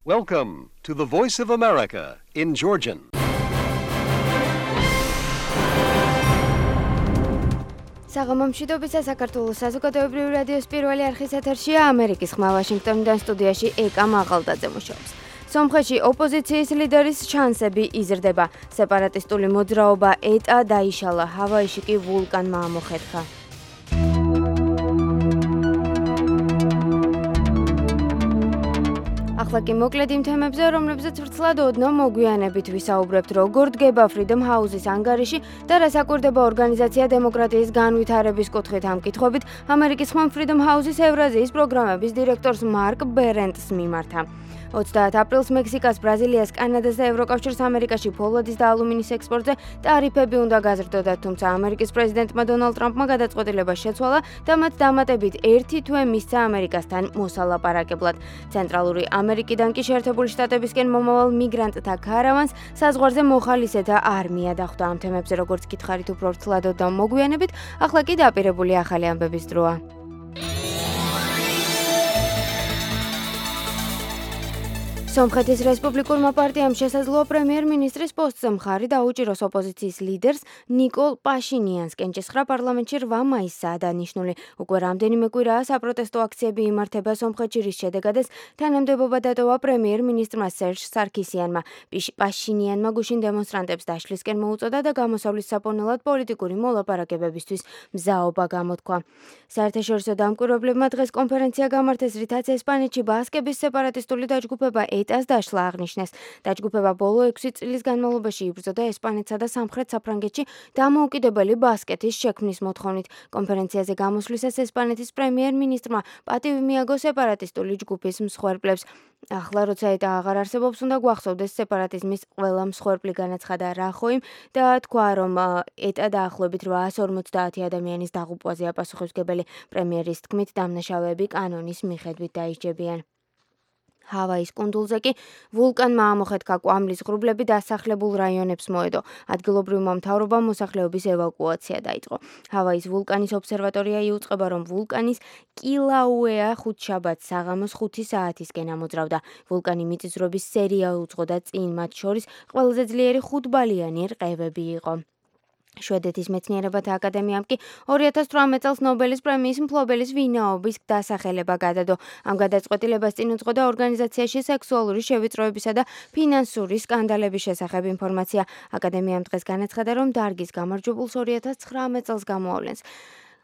Welcome to the Voice of America in Georgian. საღამომშვიდობისა საქართველოს საზოგადოებრივი რადიოს პირველი არხის ეთერშია ამერიკის ხმა ვაშინგტონიდან სტუდიაში ეკა მაღალდაძე მუშაობს. სომხეთში ოპოზიციის ლიდერის შანსები იზრდება. სეპარატისტული მოძრაობა ეტა დაიშალა, ჰავაიში კი ვულკანმა ამოხეთქა. ახლა კი მოკლედ იმ თემებზე, რომლებზეც ვრცლად ოდნავ მოგვიანებით ვისაუბრებთ, როგორ დგება Freedom House-ის ანგარიში და რა საკვირდება ორგანიზაცია დემოკრატიის განვითარების კუთხით ამ კითხვებით, ამერიკის ხმამ Freedom House-ის ევრაზიის პროგრამების დირექტორს მარკ ბერენტს მიმართა. 30 აპრილს მექსიკას, ბრაზილიას, კანადას და ევროკავშირს ამერიკაში ფოლადის და ალუმინის ექსპორტზე ტარიფები უნდა გაზრდოდათ, თუმცა ამერიკის პრეზიდენტმა დონალდ ტრამპმა გადაწყვეტილება შეცვალა და მათ დამატებით 1 თვე მისცა ამერიკასთან მოსალაპარაკებლად. ცენტრალური ამერიკიდან კი შეერთებული შტატებისკენ მომავალ მიგრანტთა ქარავანს საზღვარზე მოხალისეთა არმია დახვდა. ამ თემებზე როგორც გითხარით უფრო ვრცლად და მოგვიანებით, ახლა კი დაპირებული ახალი ამბების დროა. სომხეთის რესპუბლიკურმა პარტიამ შესაძლოა პრემიერ-მინისტრის პოსტზე მხარი დაუჭიროს ოპოზიციის ლიდერს ნიკოლ პაშინიანს. კენჭისხრა პარლამენტში 8 მაისსაა დანიშნული. უკვე რამდენიმე კვირაა საპროტესტო აქციები იმართება სომხეთში, რის შედეგადაც თანამდებობა დატოვა პრემიერ-მინისტრმა სერჟ სარქისიანმა. პაშინიანმა გუშინ დემონსტრანტებს დაშლისკენ მოუწოდა და გამოსავლის საფონელად პოლიტიკური მოლაპარაკებებისთვის მზაობა გამოთქვა. საერთაშორისო დამკვირვებლებმა დღეს კონფერენცია გამართეს, რითაც ესპანეთში ბასკების სეპარატისტული დაჯგუფება ეტას დაშლა აღნიშნეს. დაჯგუფება ბოლო 6 წლის განმავლობაში იბრძოდა ესპანეთსა და სამხრეთ საფრანგეთში დამოუკიდებელი ბასკეთის შექმნის მოთხოვნით. კონფერენციაზე გამოსვლისას ესპანეთის პრემიერ-მინისტრმა პატივი მიაგო სეპარატისტული ჯგუფის მსხვერპლებს. ახლა როცა ეტა აღარ არსებობს, უნდა გვახსოვდეს სეპარატიზმის ყველა მსხვერპლი, განაცხადა რახოიმ და თქვა, რომ ეტა დაახლოებით 850 ადამიანის დაღუპვაზეა პასუხისმგებელი. პრემიერის თქმით, დამნაშავეები კანონის მიხედვით დაიჭებიან. ჰავაის კუნძულზე კი ვულკანმა ამოხეთქა, კვამლის ღრუბლები დასახლებულ რაიონებს მოედო. ადგილობრივმა მთავრობამ მოსახლეობის ევაკუაცია დაიწყო. ჰავაის ვულკანის ობსერვატორია იუწყება, რომ ვულკანის კილაუეა ხუთშაბათს საღამოს 5 საათისკენ ამოძრავდა. ვულკანი მიწისძვრების სერია უძღოდა წინ, მათ შორის ყველაზე ძლიერი 5-ბალიანი რყევები იყო. შვედეთის მეცნიერებათა აკადემიამ კი 2018 წელს ნობელის პრემიის მფლობელის ვინაობის დასახელება გადადო. ამ გადაწყვეტილებას წინ უძღოდა ორგანიზაციაში სექსუალური შევიწროებისა და ფინანსური სკანდალების შესახებ ინფორმაცია. აკადემიამ დღეს განაცხადა, რომ დარგის გამარჯვებულს 2019 წელს გამოავლენს.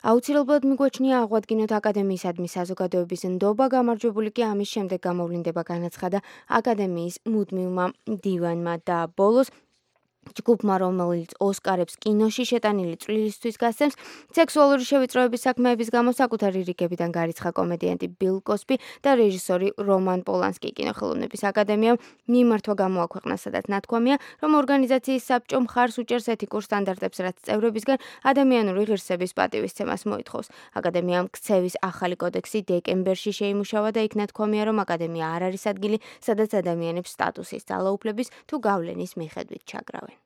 აუცილებლად მიგვაჩნია აღვადგინოთ აკადემიისადმი საზოგადოების ნდობა, გამარჯვებული კი ამის შემდეგ გამოვლინდება, განაცხადა აკადემიის მუდმივმა დივანმა და ბოლოს ჯგუფმა, რომელიც ოსკარებს კინოში შეტანილი წვლილისთვის გასცემს, სექსუალური შევიწროების საქმეების გამო საკუთარი რიგებიდან გარიცხა კომედიანტი ბილ კოსბი და რეჟისორი რომან პოლანსკი. კინოხელოვნების აკადემიამ მიმართვა გამოაქვეყნა, სადაც ნათქვამია, რომ ორგანიზაციის საბჭო მხარს უჭერს ეთიკურ სტანდარტებს, რაც წევრებისგან ადამიანური ღირსების პატივისცემას მოითხოვს. აკადემიამ ქცევის ახალი კოდექსი დეკემბერში შეიმუშავა და იქ ნათქვამია, რომ აკადემია არ არის ადგილი, სადაც ადამიანებს სტატუსის, ძალაუფლების თუ გავლენის მიხედვით ჩაგრავენ.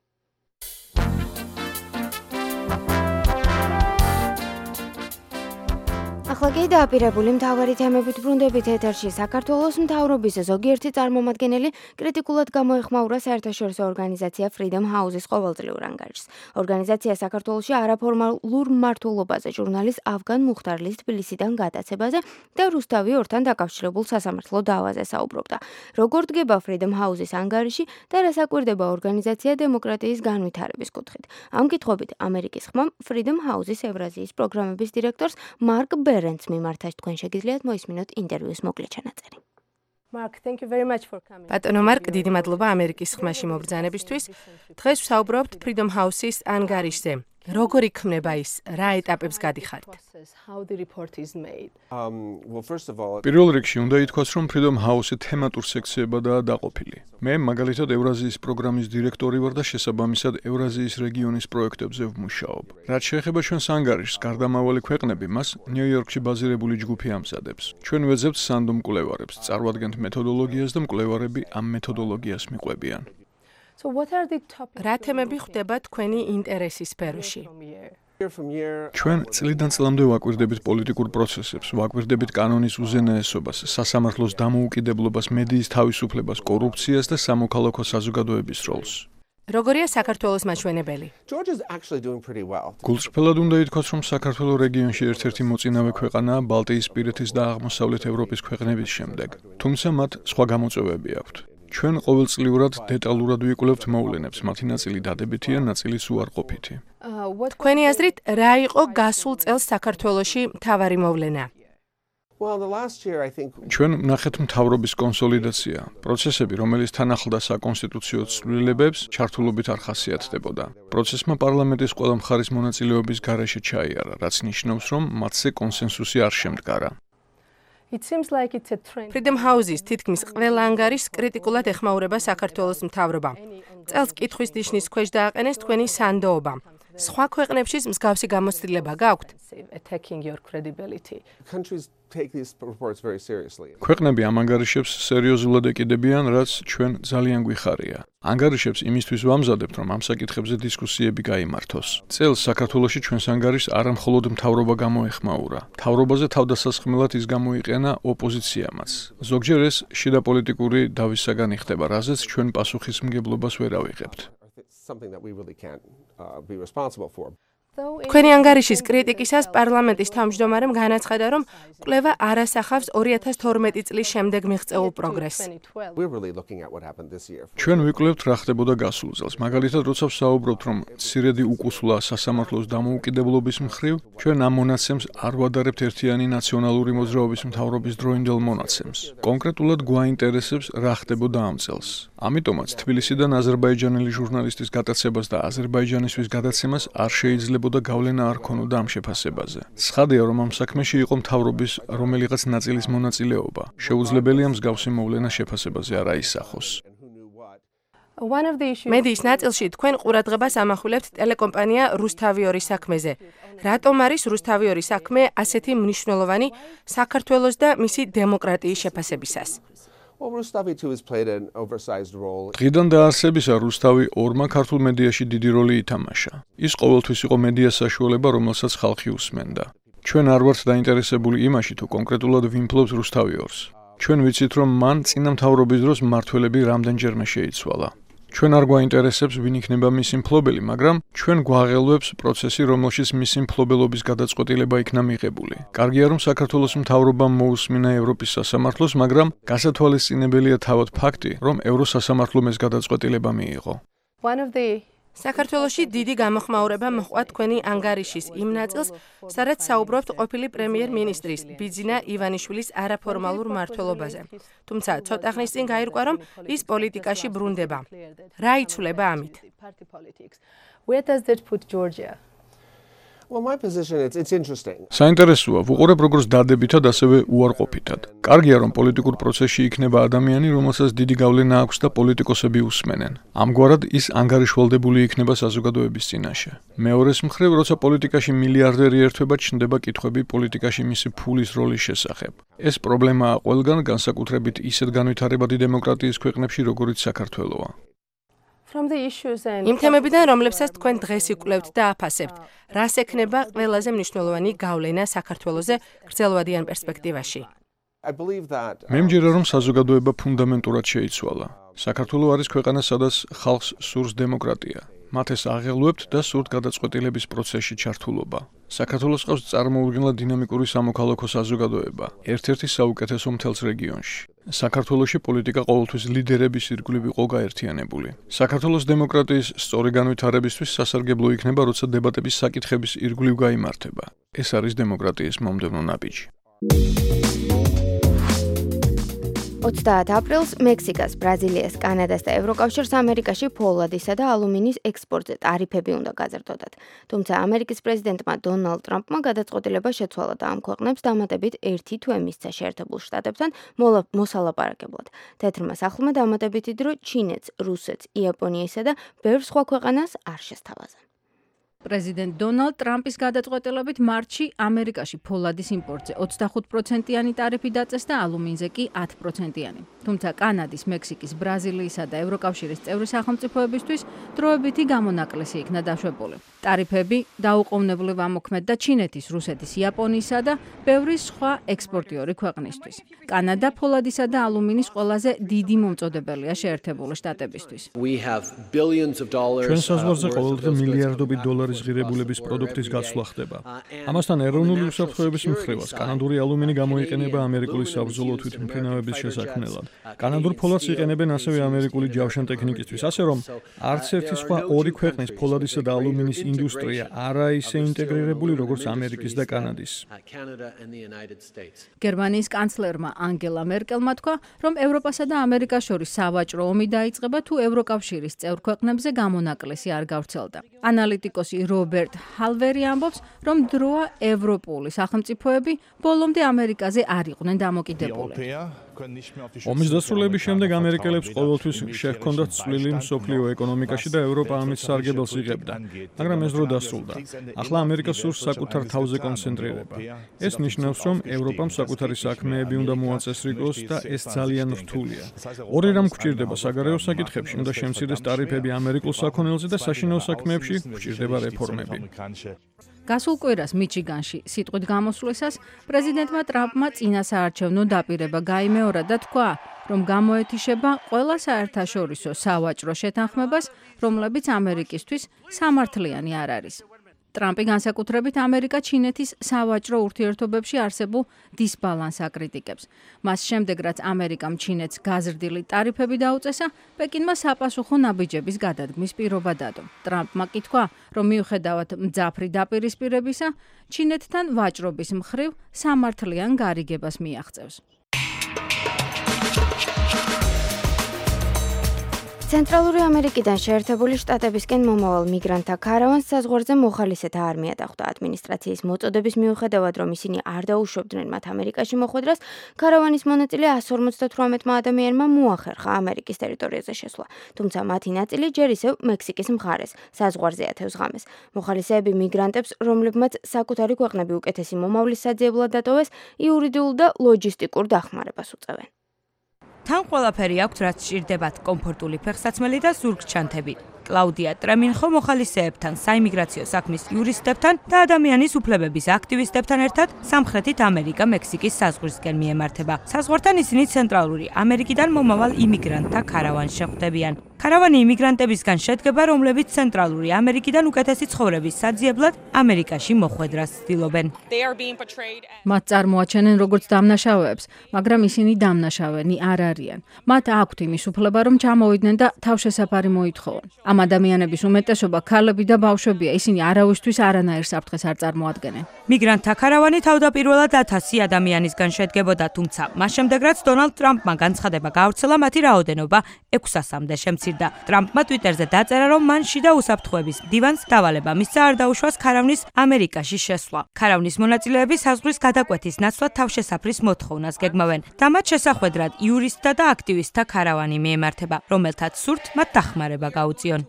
ახლა კი დააპირებული მთავარი თემებით ბრუნდებით ეთერში. საქართველოს მთავრობის ზოგიერთი წარმომადგენელი კრიტიკულად გამოეხმაურა საერთაშორისო ორგანიზაცია Freedom House-ის ყოველწლიურ ანგარიშს. ორგანიზაცია საქართველოში არაფორმალურ მმართველობაზე, ჟურნალის ავგან მუხტარლის თბილისიდან გადაცებაზე და რუსთავი ორთან დაკავშირებულ სასამართლო დავაზე საუბრობდა. როგორ დგება Freedom House-ის ანგარიში და რა საკვირდება ორგანიზაცია დემოკრატიის განვითარების კუთხით. ამ კითხვებით ამერიკის ხმამ Freedom House-ის ევრაზიის პროგრამების დირექტორს მარკ ბერენტს მიმართა. თქვენ შეგიძლიათ მოისმინოთ ინტერვიუს მოკლე ჩანაწერი. ბატონო მარკ, დიდი მადლობა ამერიკის ხმაში მობრძანებისთვის. დღეს ვსაუბრობთ Freedom House-ის ანგარიშზე. როგორ იქმნება ის, რა ეტაპებს გადიხართ? პირველ რიგში უნდა ითქვას, რომ Freedom House-ი თემატურ სექციებადაა დაყოფილი. მე მაგალითად ევრაზიის პროგრამის დირექტორი ვარ და შესაბამისად ევრაზიის რეგიონის პროექტებზე ვმუშაობ. რაც შეეხება ჩვენს ანგარიშს, გარდამავალი ქვეყნები მას ნიუ-იორკში ბაზირებული ჯგუფი ამზადებს. ჩვენ ვეძებთ სანდო მკვლევარებს, წარვადგენთ მეთოდოლოგიას და მკვლევარები ამ მეთოდოლოგიას მიყვებიან. რა თემები ხვდება თქვენი ინტერესის სფეროში? ჩვენ წლიდან წლამდე ვაკვირდებით პოლიტიკურ პროცესებს, ვაკვირდებით კანონის უზენაესობას, სასამართლოს დამოუკიდებლობას, მედიის თავისუფლებას, კორუფციას და სამოქალაქო საზოგადოების როლს. როგორია საქართველოს მაჩვენებელი? გულწრფელად უნდა ითქვას, რომ საქართველოს რეგიონში ერთ-ერთი მოწინავე ქვეყანაა ბალტიისპირეთის და აღმოსავლეთ ევროპის ქვეყნების შემდეგ. თუმცა მათ სხვა გამოწვევები აქვთ. ჩვენ ყოველწლიურად დეტალურად ვიკვლევთ მოვლენებს, მათი ნაწილი დადებითია, ნაწილიც უარყოფითი. თქვენი აზრით, რა იყო გასულ წელს საქართველოში მთავარი მოვლენა? ჩვენ ვნახეთ მთავრობის კონსოლიდაცია, პროცესები, რომელიც თან ახლდა საკონსტიტუციო ცვლილებებს, ჩართულობით არ ხასიათდებოდა. პროცესმა პარლამენტის ყველა მხარის მონაწილეობის გარეშე ჩაიარა, რაც ნიშნავს, რომ მათზე კონსენსუსი არ შემდგარა. Freedom House-ის თითქმის ყველა ანგარიშს კრიტიკულად ეხმაურება საქართველოს მთავრობა. წელს კითხვის ნიშნის ქვეშ დააყენეს თქვენი სანდოობა. სხვა ქვეყნებშიც მსგავსი გამოცდილება გაქვთ? ქვეყნები ამ ანგარიშებს სერიოზულად ეკიდებიან, რაც ჩვენ ძალიან გვიხარია. ანგარიშებს იმისთვის ვამზადებთ, რომ ამ საკითხებზე დისკუსიები გაიმართოს. წელს საქართველოში ჩვენს ანგარიშს არა მხოლოდ მთავრობა გამოეხმაურა. მთავრობაზე თავდასასხმელად ის გამოიყენა ოპოზიციამაც. ზოგჯერ ეს შიდა პოლიტიკური დავის საგანი ხდება, რაზეც ჩვენ პასუხისმგებლობას ვერ ავიღებთ. თქვენი ანგარიშის კრიტიკისას პარლამენტის თავმჯდომარემ განაცხადა, რომ კვლევა არ ასახავს 2012 წლის შემდეგ მიღწეულ პროგრესს. ჩვენ ვიკვლევთ რა ხდებოდა გასულ წელს. მაგალითად, როცა ვსაუბრობთ, რომ მცირედი უკუსვლა სასამართლოს დამოუკიდებლობის მხრივ, ჩვენ ამ მონაცემს არ ვადარებთ ერთიანი ნაციონალური მოძრაობის მთავრობის დროინდელ მონაცემს. კონკრეტულად გვაინტერესებს რა ხდებოდა ამ წელს. ამიტომაც თბილისიდან აზერბაიჯანელი ჟურნალისტის გატაცებას და აზერბაიჯანისთვის გადაცემას არ შეიძლებოდა გავლენა არ ქონოდა ამ შეფასებაზე. ცხადია, რომ ამ საქმეში იყო მთავრობის რომელიღაც ნაწილის მონაწილეობა. შეუძლებელია მსგავსი მოვლენა შეფასებაზე არ აისახოს. მედიის ნაწილში თქვენ ყურადღებას ამახვილებთ ტელეკომპანია რუსთავი-2 საქმეზე. რატომ არის რუსთავი-2 საქმე ასეთი მნიშვნელოვანი საქართველოს და მისი დემოკრატიის შეფასებისას? დღიდან დაარსებისა რუსთავი 2-მა ქართულ მედიაში დიდი როლი ითამაშა. ის ყოველთვის იყო მედიას საშუალება, რომელსაც ხალხი უსმენდა. ჩვენ არ ვართ დაინტერესებული იმაში, თუ კონკრეტულად ვინ ფლობს რუსთავი-2-ს. ჩვენ ვიცით, რომ მან წინა მთავრობის დროს მმართველები რამდენჯერმე შეიცვალა. ჩვენ არ გვაინტერესებს, ვინ იქნება მისი მფლობელი, მაგრამ ჩვენ გვაღელვებს პროცესი, რომელშიც მისი მფლობელობის გადაწყვეტილება იქნა მიღებული. კარგია, რომ საქართველოს მთავრობამ მოусმინა ევროპის სასამართლოს, მაგრამ გასათვალისწინებელია თავად ფაქტი, რომ ევროსასამართლომ ეს გადაწყვეტილება მიიღო. საქართველოში დიდი გამოხმაურება მოჰყვა თქვენი ანგარიშის იმ ნაწილს, სადაც საუბრობთ ყოფილი პრემიერ-მინისტრის ბიძინა ივანიშვილის არაფორმალურ მმართველობაზე. თუმცა ცოტა ხნის წინ გაირკვა, რომ ის პოლიტიკაში ბრუნდება. რა იცვლება ამით? საინტერესოა, ვუყურებ როგორც დადებითად, ასევე უარყოფითად. კარგია, რომ პოლიტიკურ პროცესში იქნება ადამიანი, რომელსაც დიდი გავლენა აქვს და პოლიტიკოსები უსმენენ. ამგვარად ის ანგარიშვალდებული იქნება საზოგადოების წინაშე. მეორეს მხრივ, როცა პოლიტიკაში მილიარდერი ერთვება, ჩნდება კითხვები პოლიტიკაში მისი ფულის როლის შესახებ. ეს პრობლემაა ყველგან, განსაკუთრებით ისეთ განვითარებადი დემოკრატიის ქვეყნებში, როგორიც საქართველოა. იმ თემებიდან, რომლებსაც თქვენ დღეს იკვლევთ და აფასებთ, რას ექნება ყველაზე მნიშვნელოვანი გავლენა საქართველოზე გრძელვადიან პერსპექტივაში? მე მჯერა, რომ საზოგადოება ფუნდამენტურად შეიცვალა. საქართველო არის ქვეყანა, სადაც ხალხს სურს დემოკრატია. მათ ეს აღელვებთ და სურთ გადაწყვეტილების პროცესში ჩართულობა. საქართველოს ყავს წარმოუდგენლად დინამიკური სამოქალაქო საზოგადოება, ერთ-ერთი საუკეთესო მთელს რეგიონში. საქართველოში პოლიტიკა ყოველთვის ლიდერების ირგვლივ იყო გაერთიანებული. საქართველოს დემოკრატიის სწორი განვითარებისთვის სასარგებლო იქნება, როცა დებატების საკითხების ირგვლივ გაიმართება. ეს არის დემოკრატიის მომდევნო ნაბიჯი. 30 აპრილს მექსიკას, ბრაზილიას, კანადას და ევროკავშირს ამერიკაში ფოლადისა და ალუმინის ექსპორტზე ტარიფები უნდა გაზრდოდათ. თუმცა ამერიკის პრეზიდენტმა დონალდ ტრამპმა გადაწყვეტილება შეცვალა და ამ ქვეყნებს დამატებით 1 თვე მისცა შეერთებულ შტატებთან მოსალაპარაკებლად. თეთრმა სახლმა დამატებითი დრო ჩინეთს, რუსეთს, იაპონიასა და ბევრ სხვა ქვეყანას არ შესთავაზა. პრეზიდენტ დონალდ ტრამპის გადაწყვეტილებით მარტში ამერიკაში ფოლადის იმპორტზე 25%-იანი ტარიფი დაწეს და ალუმინზე კი 10%-იანი. თუმცა კანადის, მექსიკის, ბრაზილიისა და ევროკავშირის წევრი სახელმწიფოებისთვის დროებითი გამონაკლისი იქნა დაშვებული. ტარიფები დაუყოვნებლივ ამოქმედდა ჩინეთის, რუსეთის, იაპონიისა და ბევრი სხვა ექსპორტიორი ქვეყნისთვის. კანადა ფოლადისა და ალუმინის ყველაზე დიდი მომწოდებელია შეერთებული შტატებისთვის. ჩვენ საზღვარზე ყოველდღე მილიარდობით დოლარის ღირებულების პროდუქტის გაცვლა ხდება. ამასთან ეროვნული უსაფრთხოების მხრივაც კანადური ალუმინი გამოიყენება ამერიკული საბრძოლო თვითმფრინავების შესაქმნელად. კანადურ ფოლადს იყენებენ ასევე ამერიკული ჯავშანტექნიკისთვის, ასე რომ არც ერთი სხვა ორი ქვეყნის ფოლადისა და ალუმინის ინდუსტრია არაა ისე ინტეგრირებული, როგორც ამერიკის და კანადის. გერმანიის კანცლერმა ანგელა მერკელმა თქვა, რომ ევროპასა და ამერიკას შორის სავაჭრო ომი დაიწყება თუ ევროკავშირის წევრ ქვეყნებზე გამონაკლისი არ გავრცელდა. ანალიტიკოსი რობერტ ჰალვერი ამბობს, რომ დროა ევროპული სახელმწიფოები ბოლომდე ამერიკაზე არ იყვნენ დამოკიდებული. ომის დასრულების შემდეგ ამერიკელებს ყოველთვის შეჰქონდათ წვლილი მსოფლიო ეკონომიკაში და ევროპა ამის სარგებელს იღებდა, მაგრამ ეს დრო დასრულდა. ახლა ამერიკა სურს საკუთარ თავზე კონცენტრირება. ეს ნიშნავს, რომ ევროპამ საკუთარი საქმეები უნდა მოაწესრიგოს და ეს ძალიან რთულია. ორი რამ გვჭირდება საგარეო საკითხებში, უნდა შემცირდეს ტარიფები ამერიკულ საქონელზე და საშინაო საქმეებში გვჭირდება რეფორმები. გასულ კვირას მიჩიგანში სიტყვით გამოსვლისას პრეზიდენტმა ტრამპმა წინა საარჩევნო დაპირება გაიმეორა და თქვა, რომ გამოეთიშება ყველა საერთაშორისო სავაჭრო შეთანხმებას, რომლებიც ამერიკისთვის სამართლიანი არ არის. ტრამპი განსაკუთრებით ამერიკა-ჩინეთის სავაჭრო ურთიერთობებში არსებულ დისბალანსს აკრიტიკებს. მას შემდეგ, რაც ამერიკამ ჩინეთს გაზრდილი ტარიფები დაუწესა, პეკინმა საპასუხო ნაბიჯების გადადგმის პირობა დადო. ტრამპმა კი თქვა, რომ მიუხედავად მძაფრი დაპირისპირებისა, ჩინეთთან ვაჭრობის მხრივ სამართლიან გარიგებას მიაღწევს. ცენტრალური ამერიკიდან შეერთებული შტატებისკენ მომავალ მიგრანტთა ქარავანს საზღვარზე მოხალისეთა არმია დახვდა. ადმინისტრაციის მოწოდების მიუხედავად, რომ ისინი არ დაუშვებდნენ მათ ამერიკაში მოხვედრას, ქარავანის მონაწილე 158 ადამიანმა მოახერხა ამერიკის ტერიტორიაზე შესვლა. თუმცა მათი ნაწილი ჯერ ისევ მექსიკის მხარეს, საზღვარზე ათევს ღამეს. მოხალისეები მიგრანტებს, რომლებმაც საკუთარი ქვეყნები უკეთესი მომავლის საძიებლად დატოვეს, იურიდიულ და ლოჯისტიკურ დახმარებას უწევენ. თან ყველაფერი აქვთ, რაც სჭირდებათ, კომფორტული ფეხსაცმელი და ზურგჩანთები. კლაუდია ტრემინხო მოხალისეებთან, საიმიგრაციო საქმის იურისტებთან და ადამიანის უფლებების აქტივისტებთან ერთად სამხრეთით ამერიკა-მექსიკის საზღვრისკენ მიემართება. საზღვართან ისინი ცენტრალური ამერიკიდან მომავალ იმიგრანტთა ქარავანს შეხვდებიან. ქარავანი იმიგრანტებისგან შედგება, რომლებიც ცენტრალური ამერიკიდან უკეთესი ცხოვრების საძიებლად ამერიკაში მოხვედრას ცდილობენ. მათ წარმოაჩენენ როგორც დამნაშავეებს, მაგრამ ისინი დამნაშავენი არ არიან. მათ აქვთ იმის უფლება, რომ ჩამოვიდნენ და თავშესაფარი მოითხოვონ. ამ ადამიანების უმეტესობა ქალები და ბავშვებია, ისინი არავისთვის არანაირ საფრთხეს არ წარმოადგენენ. მიგრანტთა ქარავანი თავდაპირველად 1000 ადამიანისგან შედგებოდა, თუმცა მას შემდეგ, რაც დონალდ ტრამპმა განცხადება გაავრცელა, მათი რაოდენობა 600-მდე შემცირდა. ტრამპმა ტვიტერზე დაწერა, რომ მან შიდა უსაფრთხოების მდივანს დავალება მისცა არ დაუშვას ქარავნის ამერიკაში შესვლა. ქარავნის მონაწილეები საზღვრის გადაკვეთის ნაცვლად თავშესაფრის მოთხოვნას გეგმავენ და მათ შესახვედრად იურისტთა და აქტივისტთა ქარავანი მიემართება, რომელთაც სურთ მათ დახმარება გაუწიონ.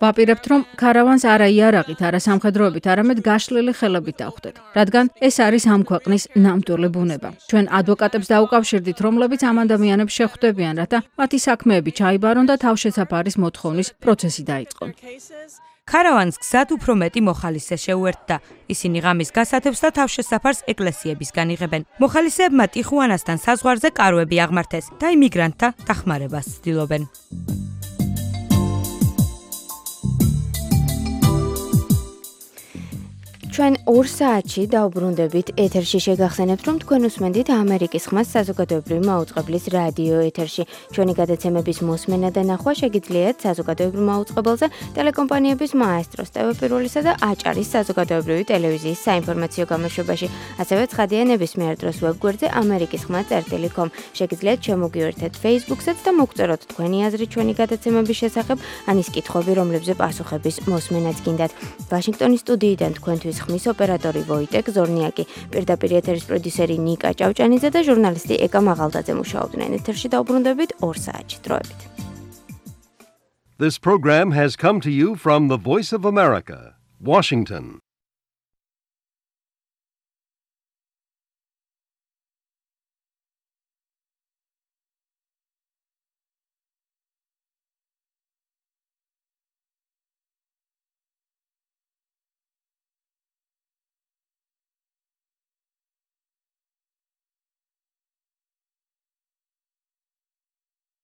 ვაპირებთ, რომ ქარავანს არა იარაღით, არა სამხედროებით, არამედ გაშლილი ხელებით დავხვდეთ, რადგან ეს არის ამ ქვეყნის ნამდვილი ბუნება. ჩვენ ადვოკატებს დაუკავშირდით, რომლებიც ამ ადამიანებს შეხვდებიან, რათა მათი საქმეები ჩაიბარონ და თავშესაფარის მოთხოვნის პროცესი დაიწყონ. ქარავანს გზად უფრო მეტი მოხალისე შეუერთდა. ისინი ღამის გასათევს და თავშესაფარს ეკლესიებისგან იღებენ. მოხალისეებმა ტიხუანასთან საზღვარზე კაროები აღმართეს და იმიგრანტთა დახმარებას ცდილობენ. ჩვენ 2 საათში დავბრუნდებით ეთერში შეგახსენებთ, რომ თქვენ უსმენდით ამერიკის ხმას საზოგადოებრივი მაუწყებლის რადიო ეთერში. ჩვენი გადაცემების მოსმენა და ნახვა შეგიძლიათ საზოგადოებრივ მაუწყებელზე, ტელეკომპანიების მაესტროს, TV პირველისა და აჭარის საზოგადოებრივი ტელევიზიის საინფორმაციო გამოშვებაში. ასევე ცხადია ნებისმიერ დროს ვებგვერდზე amerikiskhma.com. შეგიძლიათ შემოგიერთეთ Facebook-საც და მოგწეროთ თქვენი აზრი ჩვენი გადაცემების შესახებ, ან ის კითხვები, რომლებზე პასუხების მოსმენაც გინდათ. ვაშინგტონის სტუდიიდან თქვენთვის ხმის ოპერატორი ვოიტეკ ზორნიაკი, პირდაპირ ეთერის პროდიუსერი ნიკა ჭავჭანიძე და ჟურნალისტი ეკა მაღალდაძე მუშაობდნენ ეთერში. დავბრუნდებით 2 საათში. დროებით. This program has come to you from the Voice of America, Washington.